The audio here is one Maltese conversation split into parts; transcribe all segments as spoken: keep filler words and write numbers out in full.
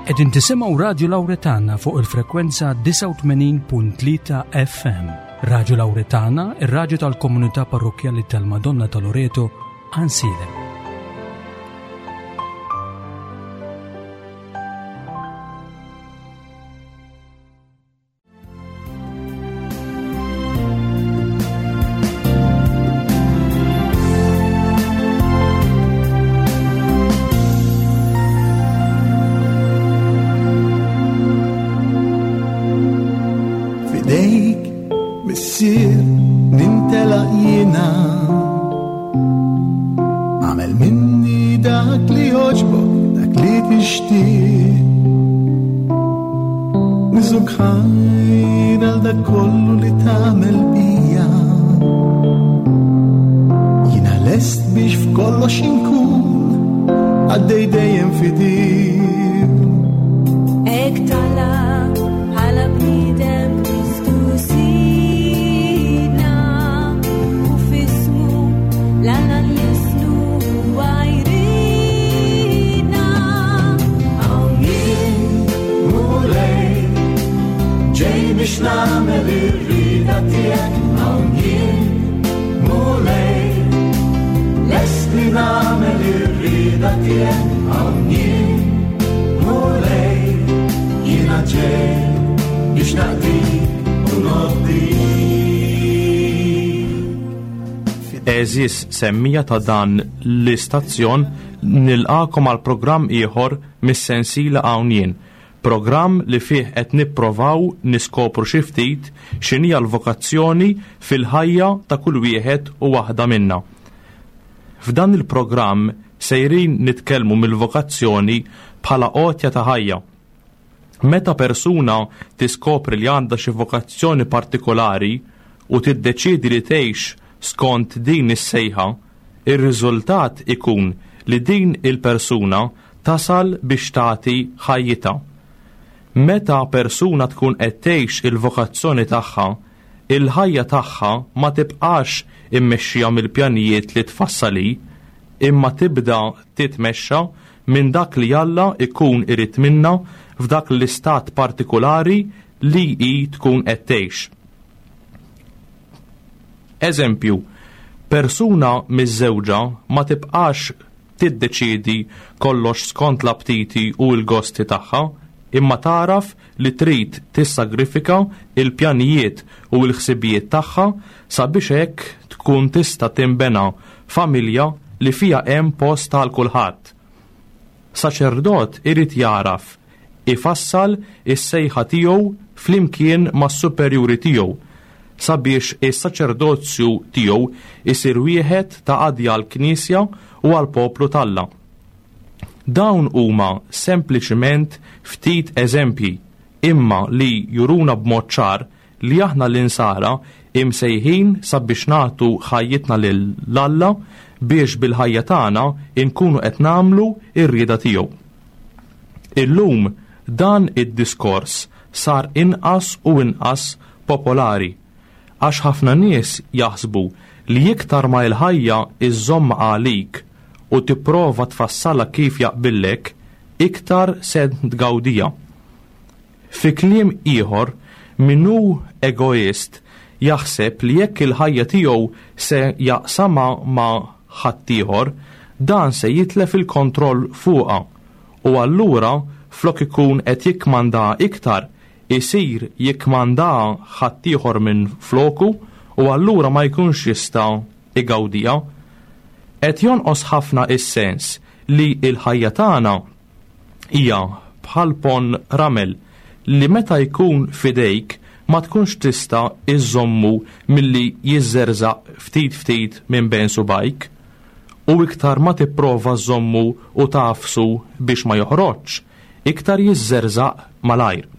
Qegħdin tisimgħu Radio Lauretana fuq il-frekwenza disgħa u tmenin punt tlieta F M. Radio Lauretana, ir-radju tal-komunità parrokkjali tal-Madonna ta' Loreto, Għajnsielem. F'idejk, Missier, nintelaq jiena. Agħmel minni dak li jogħġbok, dak li tixtieq. Niżżuk ħajr għal dak kollu li tagħmel bija. Jiena lest biex f'kollox inkun għaddej dejjem fidil. Hekk talab bħala bniedem Kristu Sidna u f'ismu 'l Alla nlissnu huwa jridna. Hawn jien, Mulej, ġej biex nagħmel ir-rieda tiegħek. Hawn jien, Mulej, lest li nagħmel ir-rieda tiegħek. Hawn jien, Mulej, jiena ġej biex naqdik u nobdik. Għeżież semmiegħa ta' dan l-istazzjon, nilqagħkom għal programm ieħor mis-sensiela Hawn Jien. Programm li fih qed nipprovaw niskopru xi ftit x'inhija l-vokazzjoni fil-ħajja ta' kull wieħed u waħda minna. F'dan il-programm sejrin nitkellmu mill-vokazzjoni bħala għotja ta' ħajja. Meta persuna tiskopri li għandha xi vokazzjoni partikolari u tiddeċiedi li tgħix skont din is-sejħa, ir-riżultat ikun li din il-persuna tasal biex tagħti ħajjitha. Meta persuna tkun qed tgħix il-vokazzjoni tagħha, il-ħajja tagħha ma tibqax immexxija mill-pjanijiet li tfassal hi, imma tibda titmexxa minn dak li Alla ikun irid minna f'dak l-istat partikolari li hi tkun qed tgħix. Eżempju, persuna miżżewġa ma tibqax tiddeċiedi kollox skont l-aptiti u l-gosti tagħha, imma tagħraf li trid tissagrifika il-pjanijiet u l-ħsibijiet tagħha sabiex hekk tkun tista' tinbena familja li fiha hemm post għal kulħadd. Saċerdot irid jagħraf ifassal is-sejħa tiegħu flimkien mas-superjuri tiegħu sabiex is-saċerdozju tiegħu isir wieħed ta' qadi għall-Knisja u għall-poplu t'Alla. Dawn huma sempliċiment ftit eżempji imma li juruna b'mod ċar li aħna l-insara imsejħin sabiex nagħtu ħajjitna lil Alla biex bil-ħajja tagħna inkunu qed nagħmlu r-rieda tiegħu. Illum dan id-diskors sar inqas u inqas popolari għax ħafna nies jaħsbu li iktar ma l-ħajja iżżomm għalik u tipprova tfassalha kif jaqbillek, iktar se tgawdija. Fi kliem ieħor, min hu egoist jaħseb li jekk il-ħajja tiegħu se jaqsama ma' ħaddieħor, dan se jitlef il-kontroll fuqha u allura flok ikun qed jikkmanda iktar, isir jikkmanda ħaddieħor minn floku u allura ma jkunx jista' igawdija. Qed jonqos ħafna is-sens li l-ħajja tagħna hija bħal ponn ramel li meta jkun fidejk ma tkunx tista' iżommu milli jiżżerżaq ftit ftit minn bejn subgħajk, u iktar ma tipprova żommu u tagħfsu biex ma joħroġx, iktar jiżżerżaq malajr.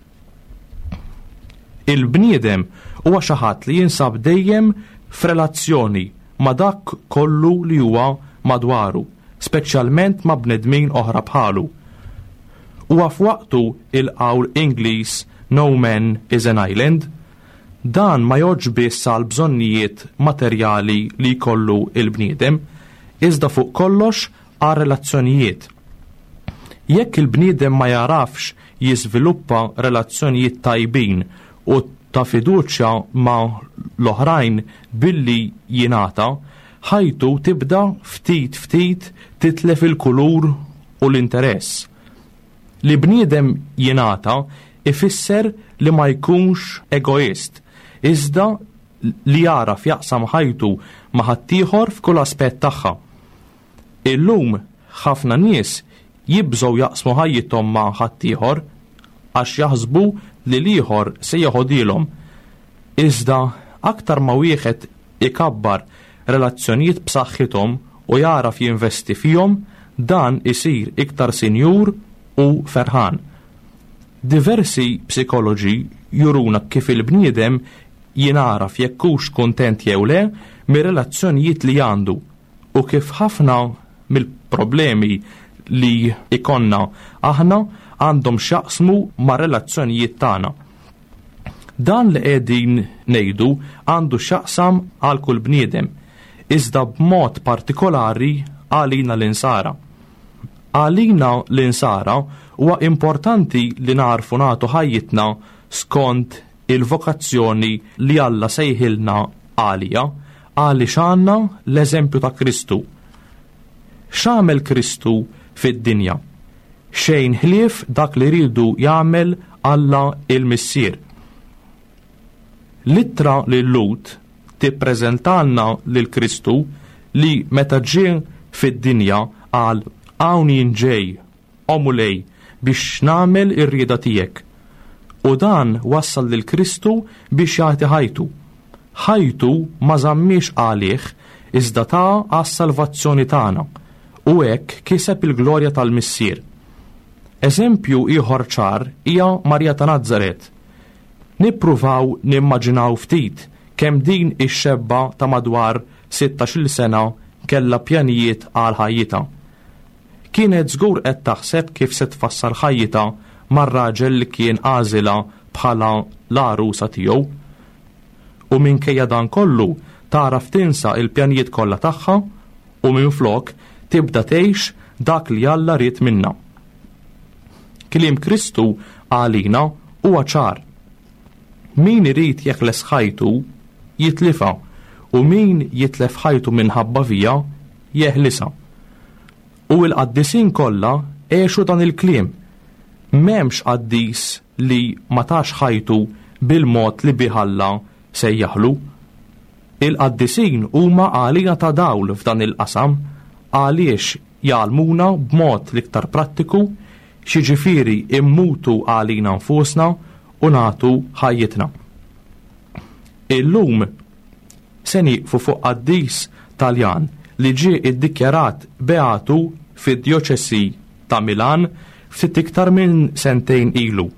Il-bniedem huwa xi ħadd li jinsab dejjem f'relazzjoni ma' dak kollu li huwa madwaru, speċjalment ma' bnedmin oħra bħalu. Huwa f'waqtu il-qawl Ingliż "No man is an island". Dan ma jgħoddx biss għal bżonnijiet materjali li jkollu il-bniedem, iżda fuq kollox għal relazzjonijiet. Jekk il-bniedem ma jarafx jiżviluppa relazzjonijiet tajbin u ta' fiduċja ma' l-oħrajn billi jingħata, ħajtu tibda ftit ftit titlef il-kulur u l-interess. Li bniedem jingħata ifisser li ma jkunx egoist, iżda li jagħraf jaqsam ħajtu ma' ħaddieħor f'kull aspett tagħha. Illum ħafna nies jibżgħu jaqsmu ħajjithom ma' ħaddieħor għax jaħsbu li l-ieħor se jeħodilhom. Iżda aktar ma wieħed ikabbar relazzjonijiet b'saħħithom u jagħraf jinvesti fihom, dan isir iktar sinjur u ferħan. Diversi psikoloġi juruna kif il-bniedem jingħaraf jekk hux kuntent jew le mir-relazzjonijiet li għandu u kif ħafna mill-problemi li ikonna aħna għandhom x'jaqsmu ma' relazzjonijiet tagħna. Dan li qegħdin ngħidu għandu x'jaqsam għal kull bniedem, iżda b'mod partikolari għalina l-insara. Għalina l-insara huwa importanti li narfu nagħtu ħajjitna skont il-vokazzjoni li Alla sejħilna għalija, għaliex għandna l-eżempju ta' Kristu. X'għamel Kristu fid-dinja? Xejn ħlief dak li rridu jagħmel Alla il-Missier. L-ittra lil-Lhud tippreżentalna lil Kristu li meta ġie fid-dinja qal hawn jien ġej, o Mulej, biex nagħmel ir-rieda tiegħek. U dan wassal lil Kristu biex jagħti ħajtu. Ħajtu ma żammiex għalih iżda ta għas-salvazzjoni tagħna u hekk kiseb il-glorja tal-Missier. Eżempju ieħor ċar hija Marija ta' Nazaret. Nippruvaw nimmaġinaw ftit kemm din ix-xebba ta' madwar sittax-il sena kellha pjanijiet għal ħajjitha. Kienet żgur qed taħseb kif se tfassal ħajjitha mar-raġel li kien għażilha bħala l-għarusa tiegħu. U minkejja dan kollu tagħraf tinsa il-pjanijiet kollha tagħha u minflok tibda tgħix dak li Alla ried minnha. Kliem Kristu għalina huwa ċar. Min irid jeħles ħajtu jitlifha u min jitlef ħajtu minħabba fija jeħlisha. U l-qaddisin kollha għexu dan il-kliem. M'hemmx qaddis li ma tax ħajtu bil-mod li bih Alla sejjaħlu. Il-qaddisin huma għalina ta' dawl f'dan il-qasam għaliex jgħallmuna b'mod l-iktar prattiku x'jiġifieri immutu għalina nfusna u nagħtu ħajjitna. Illum se nieqfu fuq qaddis Taljan li ġie iddikjarat beatu fid-djoċesi ta' Milan ftit iktar minn sentejn ilu.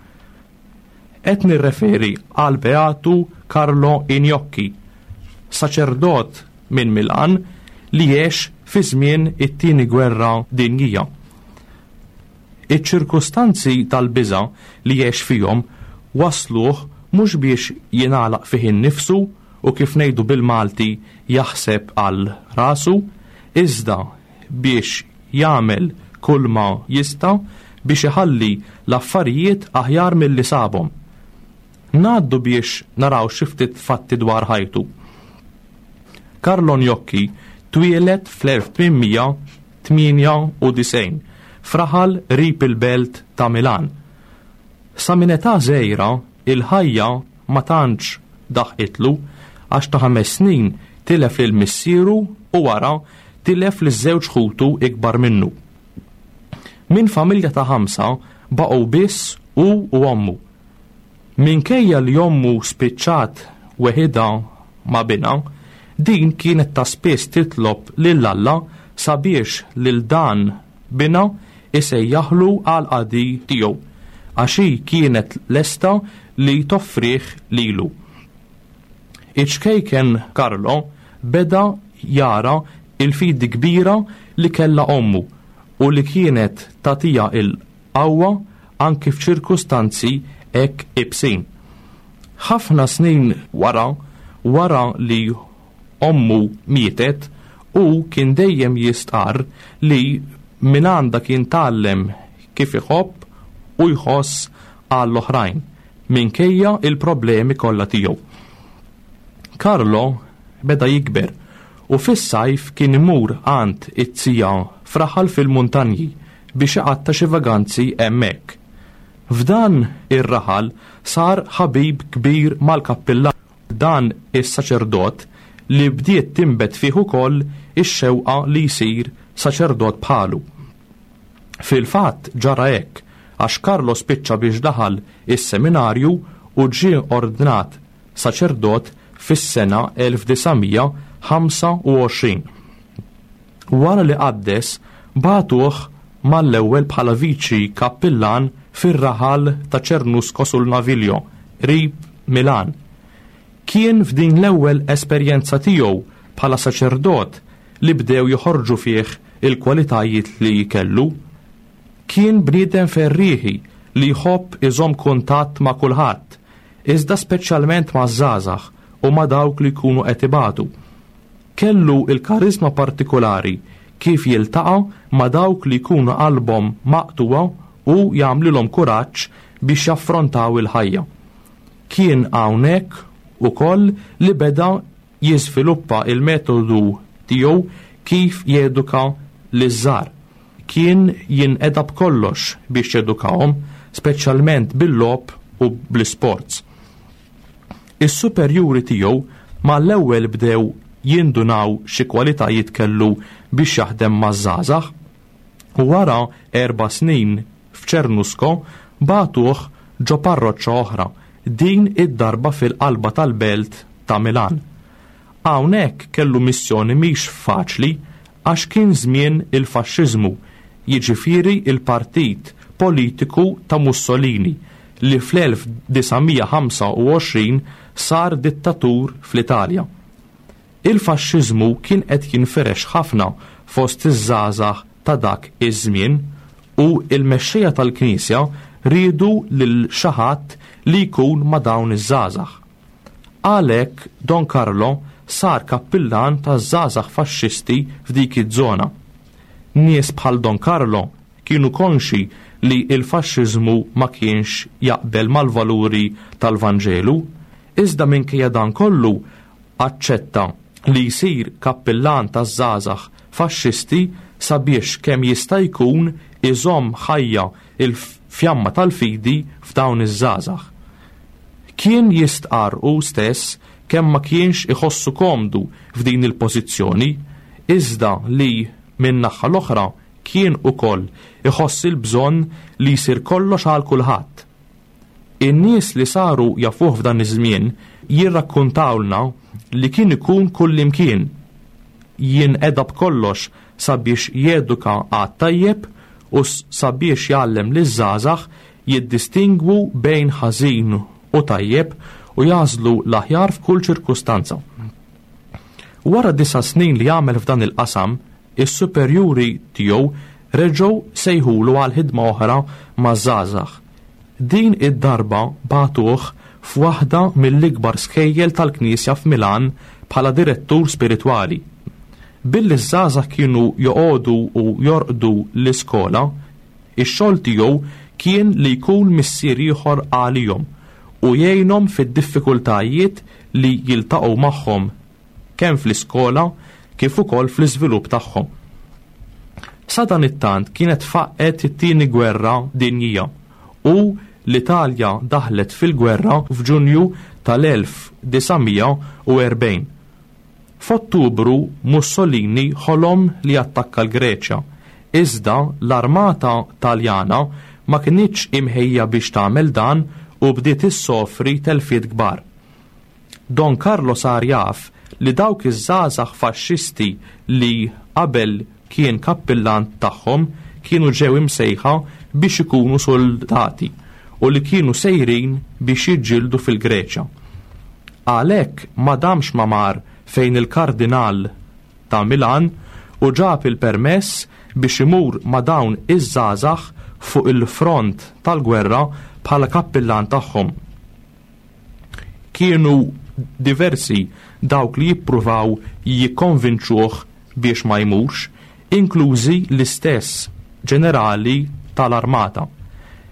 Qed nirreferi għal Beatu Carlo Gnocchi, saċerdot minn Milan li għex fi żmien it-tieni gwerra dinjija. Iċ-ċirkustanzi tal-biża' li għex fihom wasluh mhux biex jingħalaq fih innifsu u kif ngħidu bil-Malti jaħseb għal rasu, iżda biex jagħmel kull ma jista' biex iħalli l-affarijiet aħjar milli sabhom. Ngħaddu biex naraw xi ftit fatti dwar ħajtu. Carlo Gnocchi twieled fl-elf tmien tmienja u disgħin f'raħal qrib il-belt ta' Milan. Sa minn età żgħira il-ħajja ma tantx daħqitlu għax ta' ħames snin tilef lil missieru u wara tilef lil żewġ ħutu ikbar minnu. Minn familja ta' ħamsa baqgħu biss hu u ommu. Minkejja li ommu spiċċat weħidha ma' binha, din kienet ta' spiss titlob lil Alla sabiex lil dan binha isejjaħlu għal qadi tiegħu, għax hi kienet lesta li toffrih lilu. Iċ-ċkejken Carlo beda jara il-fidi kbira li kellha ommu u li kienet tagħtiha il-qawwa anki f'ċirkustanzi hekk ibsin. Ħafna snin wara, wara li ommu mietet, u kien dejjem jistqarr li minn għandha kien tgħallem kif iħobb u jħoss għall-oħrajn minkejja il-problemi kollha tiegħu. Carlo beda jikber u fis-sajf kien imur għand it-tija f'raħal fil-muntanji biex iqatta' xi vaganzi hemmhekk. F'dan ir-raħal sar ħabib kbir mal-kappillan, dan is-saċerdot li bdiet tinbet fih ukoll ix-xewqa li jsir saċerdot bħalu. Fil-fatt ġara hekk għax Carlo spiċċa biex daħal is-seminarju u ġie ordnat saċerdot fis-sena elf disa' mija ħamsa u għoxrin. Wara li qaddes, bagħtuh mal-ewwel bħala viċi kappillan fir-raħal ta' Cernusco sul Naviglio, qrib Milan. Kien f'din l-ewwel esperjenza tiegħu bħala saċerdot li bdew joħorġu fih il-kwalitajiet li kellu. Kien bniedem ferrieħi li jħobb iżomm kuntatt ma' kulħadd, iżda speċjalment ma' żgħażagħ u ma' dawk li jkunu qed ibatu. Kellu il-karizma partikolari kif jiltaqa' ma' dawk li jkunu qalbhom maqtuwa u jagħmlilhom kuraġġ biex jaffrontaw il-ħajja. Kien hawnhekk ukoll li beda jiżviluppa il-metodu tiegħu kif jeduka liż-żgħar. Kien jinqeda b'kollox biex jedukahom, speċjalment bil-logħob u bl-isports. Is-superjuri tiegħu mal-ewwel bdew jindunaw xi kwalitajiet kellu biex jaħdem maż-żgħażagħ, u wara erba' snin f'Cernusco bagħtuh ġo parroċċa oħra, din id-darba fil-qalba tal-belt ta' Milan. Hawnhekk kellu missjoni mhix faċli għax kien żmien il-faxxiżmu, jiġifieri il-partit politiku ta' Mussolini li fl-elf disa' mija ħamsa u għoxrin sar dittatur fl-Italja. Il-faxxiżmu kien qed jinfirex ħafna fost iż-żgħażagħ ta' dak iż-żmien u l-mexxejja tal-Knisja riedu lil xi ħadd li jkun ma' dawn iż-żgħażagħ. Għalhekk Don Carlo sar kappillan taż-żgħażagħ faxxisti f'dik iż-żona. Nies bħal Don Carlo kienu konxi li l-faxxiżmu ma kienx jaqbel mal-valuri tal-Vanġelu, iżda minkejja dan kollu aċċetta li jsir kappillan taż-żgħażagħ faxxisti sabiex kemm jista' jkun iżomm ħajja il-fjamma tal-fidi f'dawn iż-żgħażagħ. Kien jistqarr hu stess kemm ma kienx iħossu komdu f'din il-pożizzjoni, iżda li min-naħa l-oħra kien ukoll iħoss il-bżonn li jsir kollox għal kulħadd. In-nies li saru jafuh f'dan iż-żmien jirrakkuntawlna li kien ikun kullimkien, jinqeda b'kollox sabiex jeduka għat tajjeb u sabiex jgħallem liż-żgħażagħ jiddistingwu bejn ħażin u tajjeb u jażlu l-aħjar f'kull ċirkustanza. Wara disa' snin li għamel f'dan il-qasam, is-superjuri tiegħu reġgħu sejħulu għal ħidma oħra maż-żgħażagħ. Din id-darba bagħtuh f'waħda mill-ikbar skejjel tal-Knisja f'Milan bħala direttur spiritwali. Billi ż-żgħażagħ kienu joqogħdu u jorqdu l-iskola, ix-xogħol tiegħu kien li jkun missier ieħor għalihom u jgħinhom fid-diffikultajiet li jiltaqgħu magħhom kemm fl-iskola kif ukoll fl-iżvilupp tagħhom. Sadanittant kienet faqqet it-tieni gwerra dinjija u l-Italja daħlet fil-gwerra f'Ġunju tal-elf disa' mija u erbgħin. F'Ottubru Mussolini ħolom li attakka l-Greċja, iżda l-armata Taljana ma kinitx imħejja biex tagħmel dan u bdiet issofri telfiet kbar. Don Carlo sar jaf li dawk iż-żgħażagħ faxxisti li qabel kien kappillan tagħhom kienu ġew imsejħa biex ikunu soldati u li kienu sejrin biex jiġġieldu fil-Greċja. Għalhekk ma damx ma mar fejn il-kardinal ta' Milan u ġab il-permess biex imur ma' dawn iż-żgħażagħ fuq il-front tal-gwerra bħala kappillan tagħhom. Kienu diversi dawk li jippruvaw jikkonvinċuh biex ma jmurx, inklużi l-istess ġenerali tal-armata.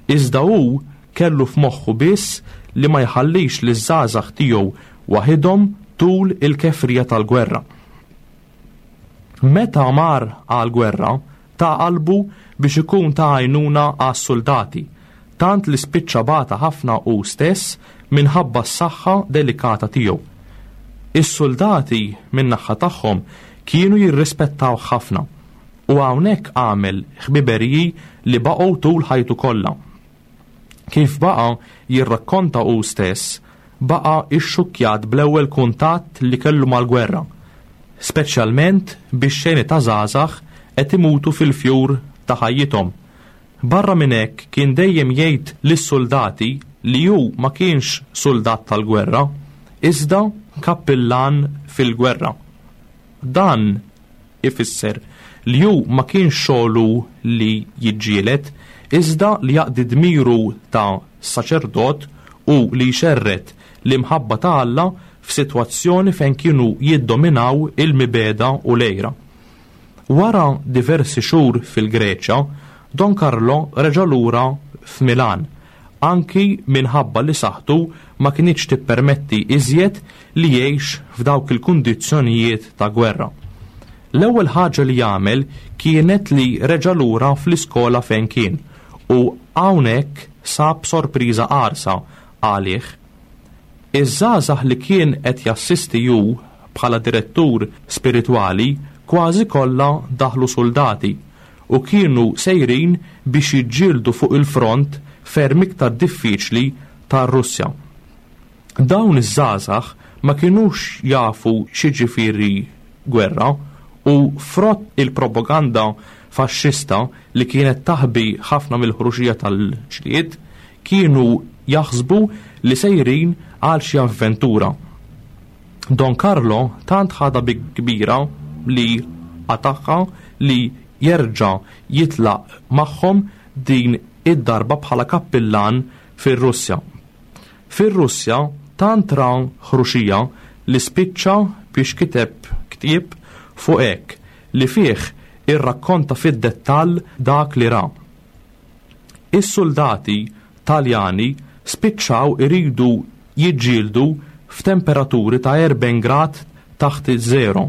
Iżda hu kellu f'moħħu biss li ma jħallix li żgħażagħ tiegħu waħidhom tul il-kefrija tal-gwerra. Meta mar għal-gwerra, ta qalbu biex ikun ta' għajnuna għas-soldati, tant li spiċċa bata ħafna hu stess minħabba s-saħħa delikata tiegħu. Is-soldati min-naħa tagħhom kienu jirrispettaw ħafna u hawnhekk għamel ħbiberiji li baqgħu tul ħajtu kollha. Kif baqa' jirrakkonta hu stess, baqa' ixxukkjat bl-ewwel kuntatt li kellu mal-gwerra, speċjalment biex xeni ta' żgħażagħ qed imutu fil-fjur ta' ħajjithom. Barra minn hekk kien dejjem jgħid lis-soldati li hu ma kienx soldat tal-gwerra, iżda kappillan fil-gwerra. Dan ifisser li hu ma kienx xogħlu li jiġġieled, iżda li jaqdi dmiru ta' saċerdot u li jxerred l-imħabba ta' Alla f'sitwazzjoni fejn kienu jiddominaw il-mibegħda u l-għira. Wara diversi xhur fil-Greċja, Don Carlo reġa' lura f'Milan, anki minħabba li saħħtu ma kinitx tippermetti iżjed li jgħix f'dawk il-kundizzjonijiet ta' gwerra. L-ewwel ħaġa li jagħmel kienet li reġa' lura fl-iskola fejn kien u hawnhekk sab sorpriża qarsa għalih. Iż-żgħażagħ li kien qed jassisti hu bħala direttur spiritwali kważi kollha daħlu soldati u kienu sejrin biex jiġġieldu fuq il-front ferm iktar diffiċli tar-Russja. Dawn iż-żgħażagħ ma kinux jafu x'jiġifieri gwerra u frott il-propaganda faxxista li kienet taħbi ħafna mill-ħruxija tal-ġlied kienu jaħsbu li sejrin għal xi avventura. Don Carlo tant ħadha bi kbira li qatagħha li jerġa' jitlaq magħhom din id-darba bħala kappillan fir-Russja. Fir-Russja tant ra ħruxija li spiċċa biex kiteb ktieb fuq hekk li fih irrakkonta fid-dettall dak li ra. Is-soldati Taljani spiċċaw iridu jiġġieldu f'temperaturi ta' erbgħin grad taħt iż-żero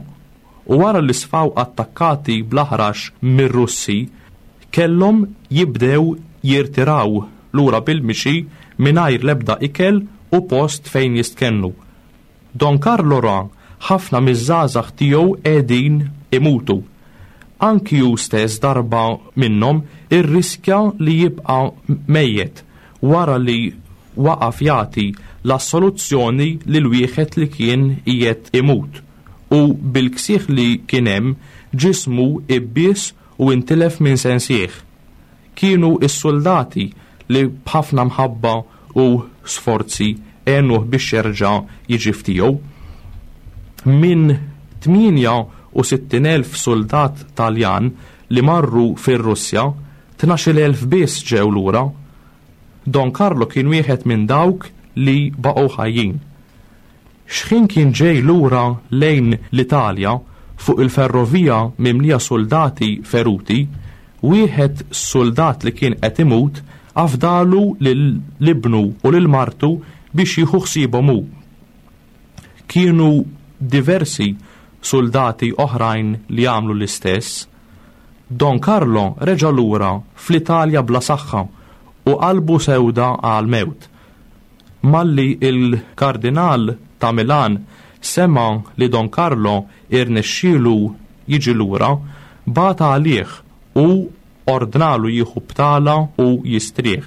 u wara li sfaw attakkati bl-aħrax mir-Russi kellhom jibdew jirtiraw lura bil-mixi mingħajr l-ebda ikel u post fejn jistkennu. Don Carlo ra ħafna miż-żgħażagħ tiegħu qegħdin imutu. Anki hu stess darba minnhom irriskja li jibqa' mejjet wara li waqaf jagħti l-assoluzzjoni lil wieħed li kien qiegħed imut u bil-ksieħ li kien hemm ġismu ibbies u intilef minn sensih. Kienu is-soldati li b'ħafna mħabba u sforzi għenuh biex jerġa' jiġi f'tiegħu. Minn tmienja u sittin elf soldat Taljan li marru fir-Russja, tnax-il elf biss ġew lura. Don Carlo kien wieħed minn dawk li baqgħu ħajjin. X'ħin kien ġej lura lejn l-Italja fuq il-ferrovija mimlija soldati feruti, wieħed soldat li kien qed imut afdalu lil ibnu u lil martu biex jieħu ħsiebhom hu. Kienu diversi soldati oħrajn li għamlu l-istess. Don Carlo reġa' lura fl-Italja bla saħħa u qalbu sewda għal mewt. Malli il-kardinal ta' Milan sema li Don Carlo irnexxielu jiġi lura, bata għalih u ordnalu jieħu btala u jistrieħ.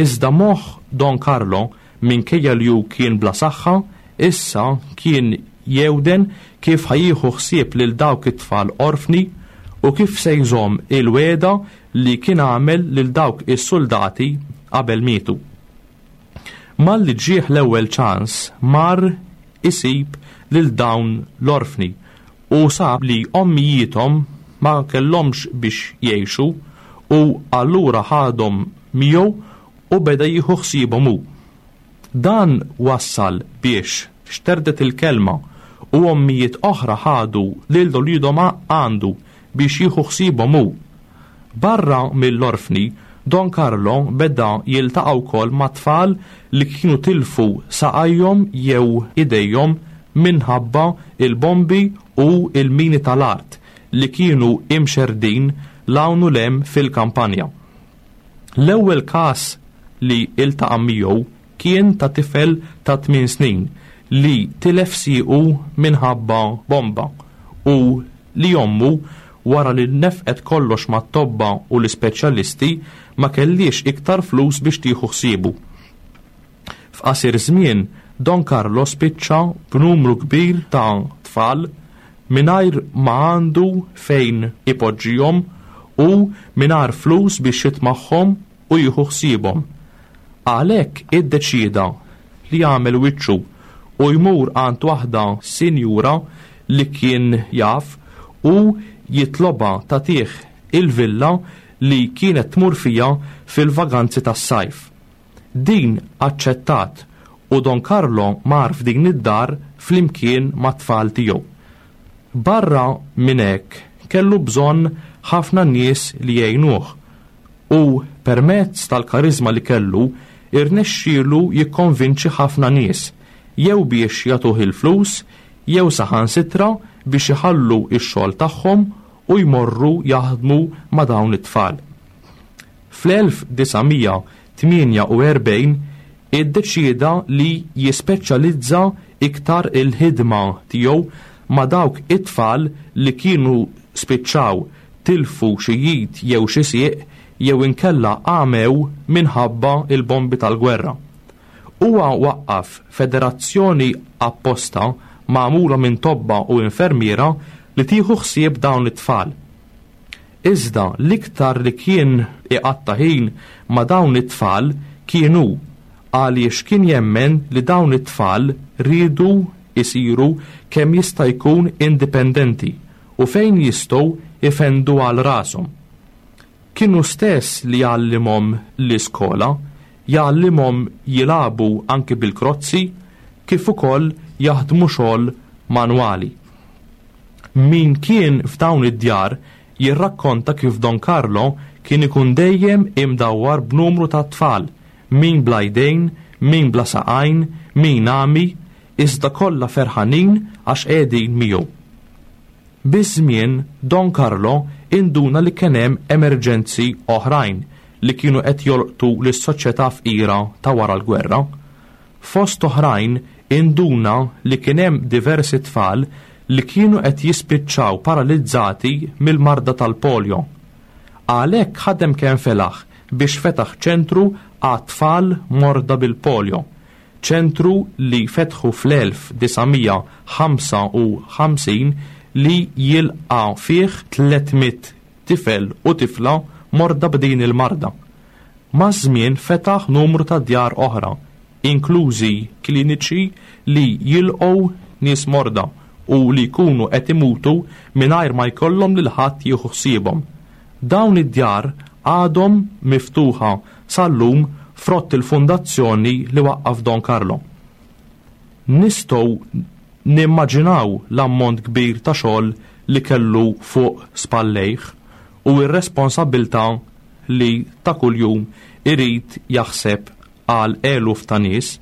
Iżda moħħ Don Carlo minkejja li hu kien bla saħħa, issa kien jewden kif ħajjieħu ħsieb lil dawk it-tfal orfni u kif se jżomm il-weda li kien għamel lil dawk is-soldati qabel mietu. Malli ġieħ l-ewwel ċans mar isib lil dawn l-orfni u sab li ommijiethom ma kellhomx biex jgħixu u allura ħadhom miegħu u beda jieħu ħsiebhom hu. Dan wassal biex xterdet il-kelma u ommijiet oħra ħadu lil uliedhom għandu biex jieħu ħsiebhom hu. Barra mill-orfni, Don Carlo beda jiltaqa' wkoll ma' tfal li kienu tilfu saqajhom jew idejhom minħabba il-bombi u il-mini tal-art li kienu imxerdin 'l hawn u 'l hemm fil-kampanja. L-ewwel każ li iltaqa' miegħu kien ta' tifel ta' tmien snin li tilef siequ minħabba bomba u li ommu, wara li nefqet kollox mat-tobba u l-ispeċjalisti, ma kellhiex iktar flus biex tieħu ħsiebu. F'qasir żmien, Don Carlo spiċċa b'numru kbir ta' tfal mingħajr ma għandu fejn ipoġġihom u mingħajr flus biex jitmagħhom u jieħu ħsiebhom. Għalhekk iddeċieda li jagħmel wiċċu u jmur għand waħda sinjura li kien jaf u jitlobha tagħtih il-villa li kienet tmur fija fil-vaganzi tas-sajf. Din aċċettat u Don Carlo mar f'din id-dar flimkien mat-tfal tiegħu. Barra minn hekk kellu bżonn ħafna nies li jgħinuh u permezz tal-karizma li kellu irnexxielu jikkonvinċi ħafna nies jew biex jagħtuh il-flus jew saħansitra biex iħallu x-xogħol tagħhom u jmorru jaħdmu ma' dawn it-tfal. Fl-elf disa' mija tmienja u erbgħin iddeċieda li jispeċjalizza iktar il-ħidma tiegħu ma' dawk it-tfal li kienu spiċċaw tilfu xi id jew xi sieq jew inkella għamew minħabba il-bombi tal-gwerra. Huwa waqqaf federazzjoni apposta magħmula minn tobba u infermiera li tieħu ħsieb dawn it-tfal. Iżda l-iktar li kien iqatta' ħin ma' dawn it-tfal kienu għaliex kien jemmen li dawn it-tfal riedu isiru kemm jista' jkun indipendenti u fejn jistgħu ifendu għal rashom. Kienu stess li jgħallimhom l-iskola, jgħallimhom jilagħbu anki bil-krozzi, kif ukoll jaħdmu xogħol manwali. Min kien f'dawn id-djar jirrakkonta kif Don Carlo kien ikun dejjem imdawwar b'numru ta' tfal, min bla jdejn, min bla saqajn, min għami, iżda kollha ferħanin għax qegħdin miegħu. Biż-żmien Don Carlo induna li kien hemm emerġenzi oħrajn li kienu qed jolqtu lis-soċjetà fqira ta' wara l-gwerra. Fost oħrajn induna li kien hemm diversi tfal li kienu qed jispiċċaw paralizzati mill-marda tal-polio. Għalhekk ħadem kemm felaħ biex fetaħ ċentru għat-tfal morda bil-polio, ċentru li fetħu fl-elf disa' mija ħamsa u ħamsin li jilqa' fih tliet mitt tifel u tifla morda b'din il-marda. Maż-żmien fetaħ numru ta' djar oħra, inklużi kliniċi li jilqgħu nies morda u li jkunu qed imutu mingħajr ma jkollhom lil ħadd jieħu ħsiebhom. Dawn id-djar għadhom miftuħa sal-lum frott il-fundazzjoni li waqqaf Don Carlo. Nistgħu nimmaġinaw l-ammont kbir ta' xogħol li kellu fuq spallejh u r-responsabbiltà li ta' kuljum irid jaħseb għal eluf ta' nies.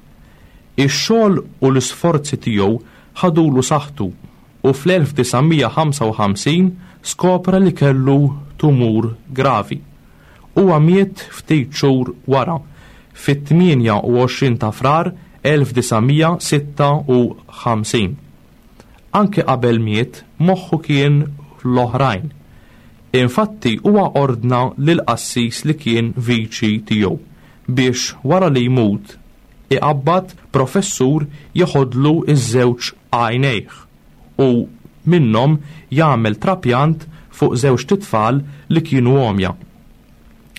Ix-xogħol u l-isforzi tiegħu ħadulu saħħtu u fl-elf disa' mija ħamsa u ħamsin skopra li kellu tumur gravi. Huwa miet ftit xhur wara, fit-tmienja u għoxrin ta' Frar elf disa' mija sitta u ħamsin. Anke qabel miet, moħħu kien l-oħrajn. Infatti huwa ordna lil qassis li kien viċi tiegħu biex wara li jmut iqabbad professur jeħodlu iż-żewġ għajnejh u minnhom jagħmel trapjant fuq żewġ titfal li kienu għomja.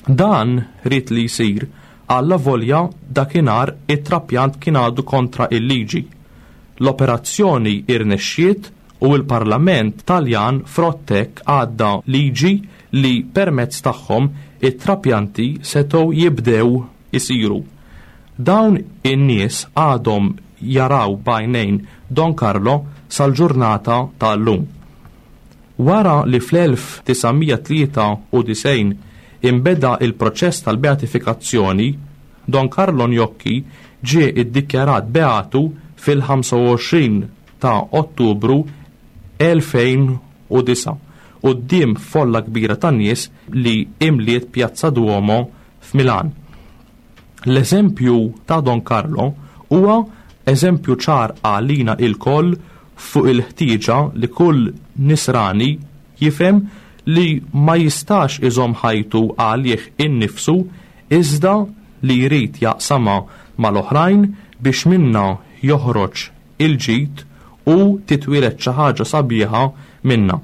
Dan ried li jsir alla volja dakinhar it-trapjant kien għadu kontra il-liġi. L-operazzjoni irnexxiet u l-Parlament Taljan frottek għadda liġi li permezz tagħhom it-trapjanti setgħu jibdew isiru. Dawn in-nies għadhom jaraw b'għajnejn Don Carlo sal-ġurnata tal-lum. Wara li fl-elf tisa' mija tlieta u disgħin imbeda il-proċess tal-beatifikazzjoni, Don Carlo Gnocchi ġie iddikjarat beatu fil-ħamsa u għoxrin ta' Ottubru elfejn u disa' quddiem folla kbira ta' nies li imliet Piazza Duomo f'Milan. L-eżempju ta' Don Carlo huwa eżempju ċar għalina il-koll fuq il-ħtieġa li kull nisrani jifhem li ma jistax iżomm ħajtu għalih innifsu iżda li jrid jaqsamha mal-oħrajn biex minna joħroġ il-ġid u titwieled xi ħaġa sabiħa minna.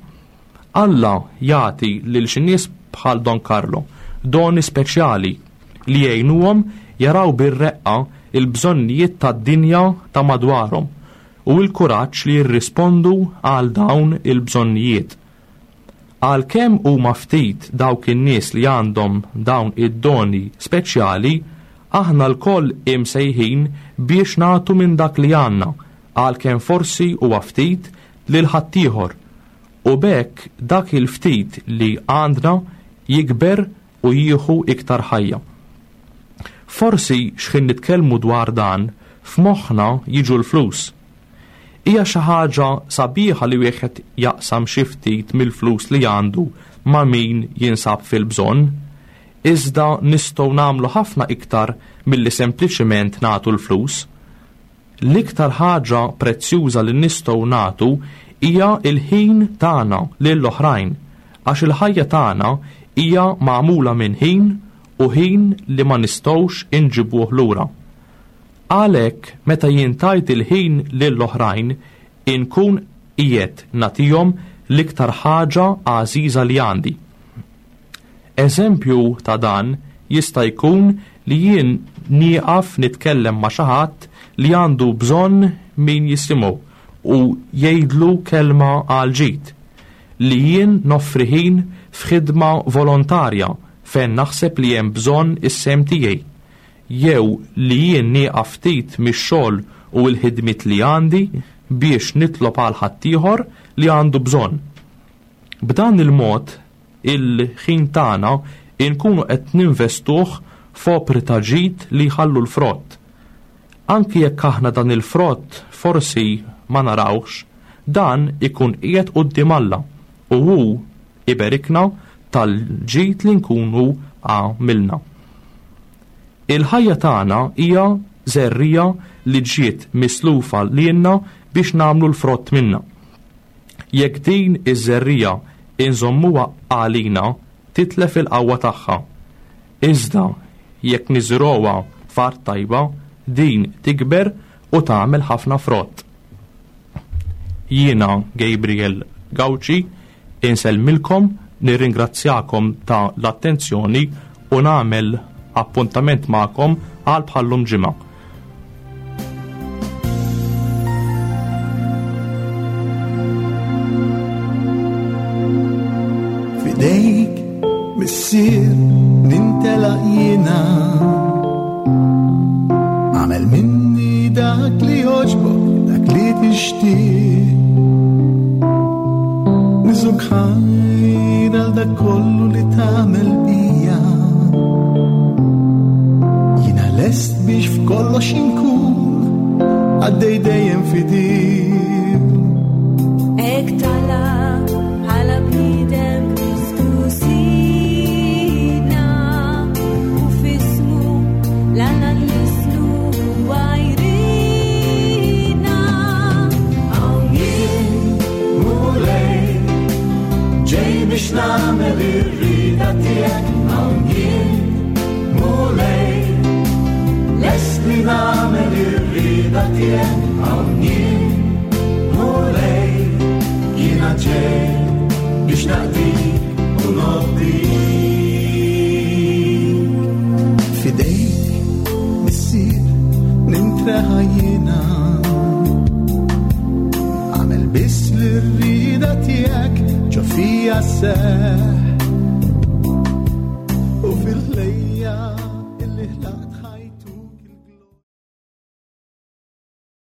Alla jagħti lil xi nies bħal Don Carlo doni speċjali li jgħinuhom jaraw bir-reqqa il-bżonnijiet tad-dinja ta' madwarhom u l-kuraġġ li jirrispondu għal dawn il-bżonnijiet. Għalkemm huma ftit dawk in-nies li għandhom dawn id-doni speċjali, aħna lkoll imsejħin biex nagħtu minn dak li għandna, għalkemm forsi huwa ftit lil ħaddieħor. U b'hekk dak il-ftit li għandna jikber u jieħu iktar ħajja. Forsi x'ħin nitkellmu dwar dan, f'moħħna jiġu l-flus. Hija xi ħaġa sabiħa li wieħed jaqsam xi ftit mill-flus li għandu ma' min jinsab fil-bżonn, iżda nistgħu nagħmlu ħafna iktar milli sempliċiment nagħtu l-flus. L-iktar ħaġa prezzjuża li nistgħu nagħtu hija l-ħin tagħna lill-oħrajn, għax il-ħajja tagħna hija magħmula minn ħin u ħin li ma nistgħux inġibuh lura. Għalhekk meta jien tajt il-ħin lill-oħrajn inkun qiegħed nagħtihom l-iktar ħaġa għażiża li għandi. Eżempju ta' dan jista' jkun li jien nieqaf nitkellem ma' xi ħadd li għandu bżonn min jisimgħu u jgħidlu kelma għal ġid, li jien noffri ħin f'ħidma volontarja fejn naħseb li hemm bżonn is-sehem tiegħi, jew li jien nieqaf ftit mix-xogħol u l-ħidmiet li għandi biex nitlob għal ħaddieħor li għandu bżonn. B'dan il-mod il-ħin tagħna inkunu qed ninvestuh f'opri ta' ġid li jħallu l-frott. Anki jekk aħna dan il-frott forsi ma narawx, dan ikun qiegħed quddiem Alla u hu iberikna tal-ġid li nkunu għamilna. Il-ħajja tagħna hija żerrija li ġiet mislufa lilna biex nagħmlu l-frott minna. Jekk din iż-żerrija inżommuha għalina, titlef il-qawwa tagħha. Iżda jekk niżruha f'art tajba, din tikber u tagħmel ħafna frott. Jiena Gabriel Gauci, insellmilkom, nirringrazzjakom ta' l-attenzjoni u nagħmel appuntament magħkom għal bħallum ġimgħa. Fidejk, missier, nintelaq jiena. Għamel minni dak li jogħġbok, dak li tixtieq. Niżuk ħajr għal dak kollu li tagħmel bija. Jiena lest biex f'kollox inkun għaddej dejjem fidil. Hekk talab bħala bniedem Kristu Sidna, u f'ismu l-Alla nlisnu huwa jridna. Hawn jien, Mulej, ġej biex nagħmel ir-rieda tiegħek. Hawn jien, Mulej, lest li nagħmel ir-rieda tiegħek. Hawn jien, Mulej, jiena ġej biex naqdik u nobdik. Fidejk, missier, nintreħa jiena. Għamel biss l-rieda tiegħek ġo fija seħ.